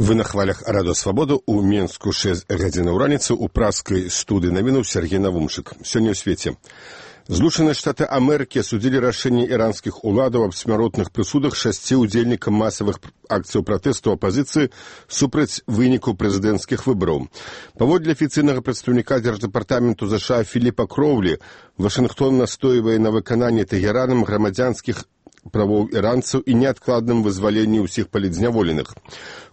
Вы на хвалях Радио Свободу у Менску 6 гадзін у раніцы у праскай студыі навінаў Сергей Навумчык. Сёння ў свеце. Злучаныя Штаты Амерыкі асудзілі рашэнне іранскіх уладаў аб смяротных прысудах 6 удзельнікам масавых акцыяў пратэсту апазіцыі супраць вынікаў прэзідэнцкіх выбараў. Паводле афіцыйнага прадстаўніка Дзярждэпартаменту США Філіпа Кроўлі, Вашынгтон настойвае на выкананні Тэгеранам грамадзянскіх правоў іранцаў і неадкладным вызваленні ўсіх палітзняволеных.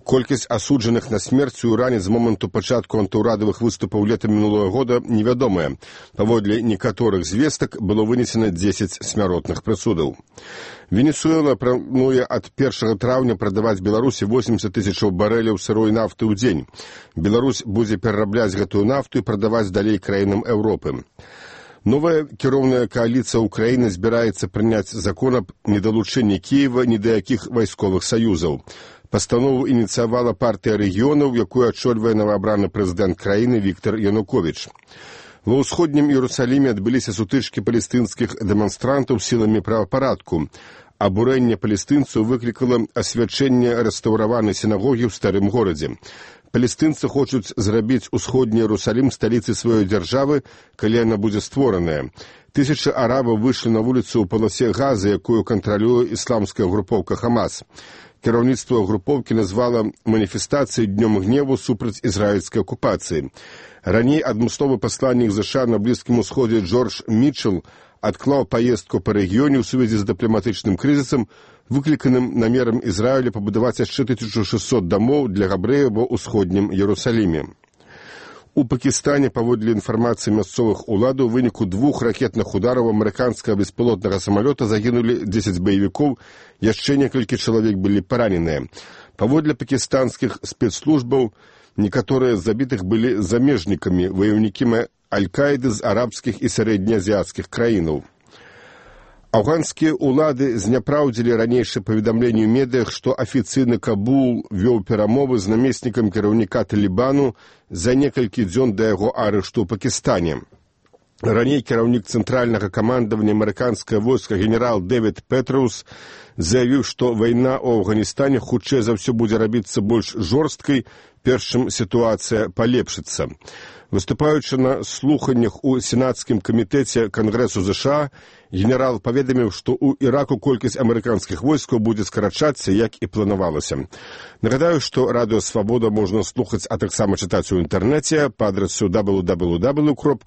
Колькасць асуджаных на смерць у Іране з моманту пачатку антыўрадавых выступаў лета мінулого года невядомая. Паводле некаторых звестак было вынесена 10 смяротных прысудаў. Венесуэла плануе ад 1 траўня прадаваць Беларусі 80 тысячаў барэляў сырой нафты ў дзень. Беларусь будзе перарабляць гэтую нафту і прадаваць далей краінам Еўропы. Новая кіроўная кааліцыя Украіны збіраецца прыняць закон аб недалучэнні Кіева ні да якіх вайсковых саюзаў. Пастанову ініцыявала партыя рэгіёнаў, якую ачольвае новаабраны прэзідэнт краіны Віктар Януковіч. Ва ўсходнім Іерусаліме адбыліся сутычкі палестынскіх дэманстрантаў сіламі правапарадку. Абурэнне палестынцаў выклікала асвячэнне рэстаўраванай сінагогі ў старым горадзе. Палестынцы хочуць зрабіць усходні Іерусалім сталіцай сваёй дзяржавы, калі яна будзе створаная. Тысячы арабаў выйшлі на вуліцу ў паласе Газы, якую кантралюе ісламская групоўка Хамас. Кіраўніцтва групоўкі назвала маніфестацыяй днём гневу супраць ізраільскай акупацыі. Раней адмысловы пасланнік США на Блізкім Усходзе Джордж Мітчел адклаў паездку па рэгіёне ў сувязі з дыпламатычным крызісам, выкліканым намерам Ізраіля пабудаваць яшчэ 1600 дамоў для габрэяў ва ўсходнім Іерусаліме. У Пакістане, паводле інфармацыі мясцовых уладаў, у выніку 2 ракетных удараў амерыканскага беспілотнага самалёта загінулі 10 баевікоў, яшчэ некалькі чалавек былі параненыя. Паводле пакістанскіх спецслужбаў, некаторыя з забітых былі замежнікамі, ваяўнікі Аль-Каіды з арабскіх і сярэднеазіяцкіх краінаў. Афганскія ўлады зняпраўдзілі ранейшае паведамленне ў медыях, што афіцыйны Кабул вёў перамовы з намеснікам кіраўніка Талібану за некалькі дзён да яго арышту ў Пакістане. Раней кіраўнік цэнтральнага камандавання амерыканскага войска генерал Дэвід Петроус заявіў, што вайна ў Афганістане хутчэй за ўсё будзе рабіцца больш жорсткай, перш чым сітуацыя палепшыцца. Выступаючы на слуханнях у Сенацкім камітэце Кангрэсу США, генерал паведаміў, што ў Іраку колькасць амерыканскіх войскаў будзе скарачацца, як і планавалася. Нагадаю, што Радыё Свабода можна слухаць, а таксама чытаць у інтэрнэце па адрасу www.